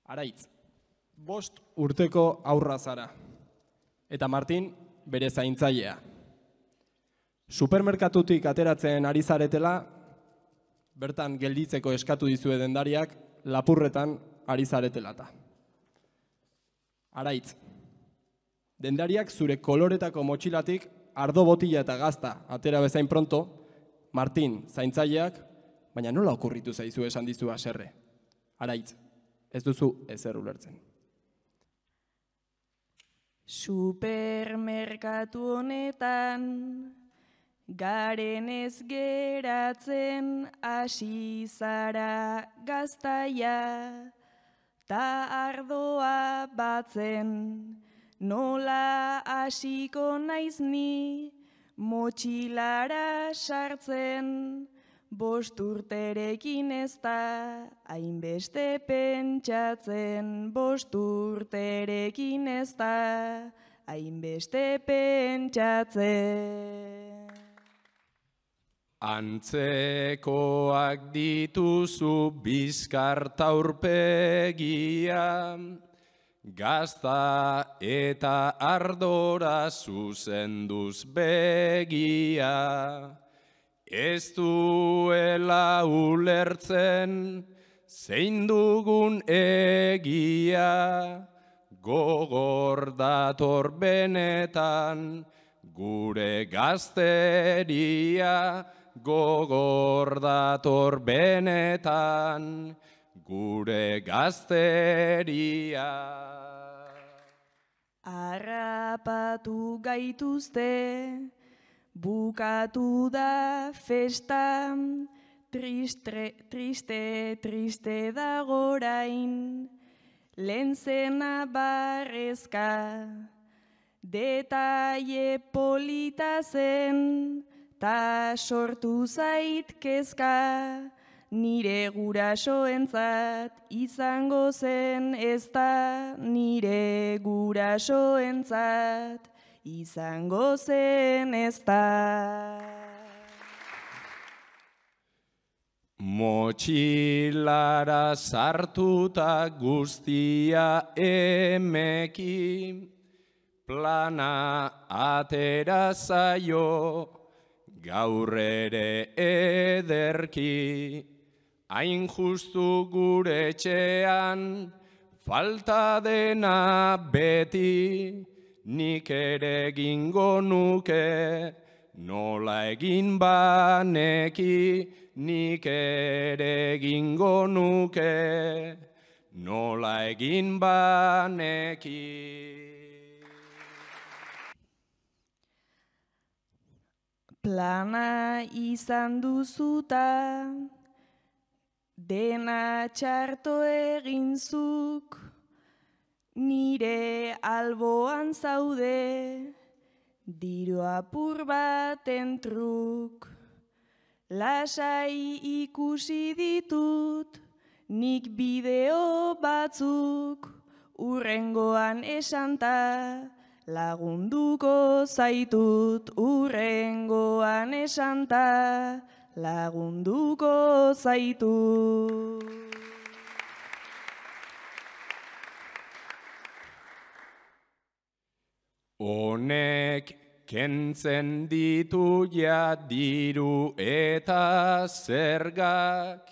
Araitz, 5 urteko haurra zara, eta Martin bere zaintzailea. Supermerkatutik ateratzen ari zaretela, bertan gelditzeko eskatu dizue dendariak lapurretan ari zaretelata. Araitz, dendariak zure koloretako motxilatik ardo botila eta gazta atera bezain pronto, Martin zaintzaileak, baina nola okurritu zaizu esan dizu haserre. Araitz, ez duzu ezer ulertzen. Supermerkatu honetan garen ez geratzen hasi zara gaztaia, ta ardoa batzen nola hasiko naiz ni motxilara sartzen. 5 urterekin ez da hainbeste pentsatzen, 5 urterekin ez da hainbeste pentsatzen. Antzekoak dituzu bizkarta aurpegia, gazta eta ardora zuzenduz begia. Ez duela ulertzen zein dugun egia, gogor dator benetan gure gazteria, gogor dator benetan gure gazteria. Harrapatu gaituzte, bukatu da festa, triste dago orain, lehen zena barrezka, detaile polita zen, ta sortu zait kezka, nire gurasoentzat izango zen ez da, nire gurasoentzat izango zen ez da. Motxilara sartuta guztia emeki, plana atera zaio gaur ere ederki. Hain justu gure etxean falta dena beti, nik ere egingo nuke, nola egin baneki, nik ere egingo nuke, nola egin baneki. Plana izan duzuta, dena txarto eginzuk, nire alboan zaude, diru apur baten truk. Lasai ikusi ditut, nik bideo batzuk, urrengoan esanta, lagunduko zaitut. Urrengoan esanta, lagunduko zaitut. Honek kentzen ditu ja diru eta zergak,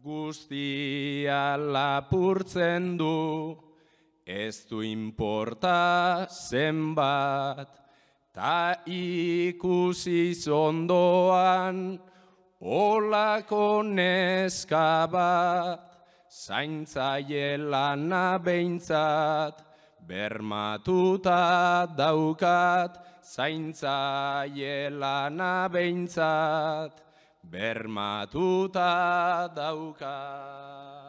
guztia lapurtzen du, ez du inporta zenbat, ta ikusiz ondoan olako neska bat, zaintzaile lana behintzat, bermatuta daukat, zaintzaile lana behintzat, bermatuta daukat.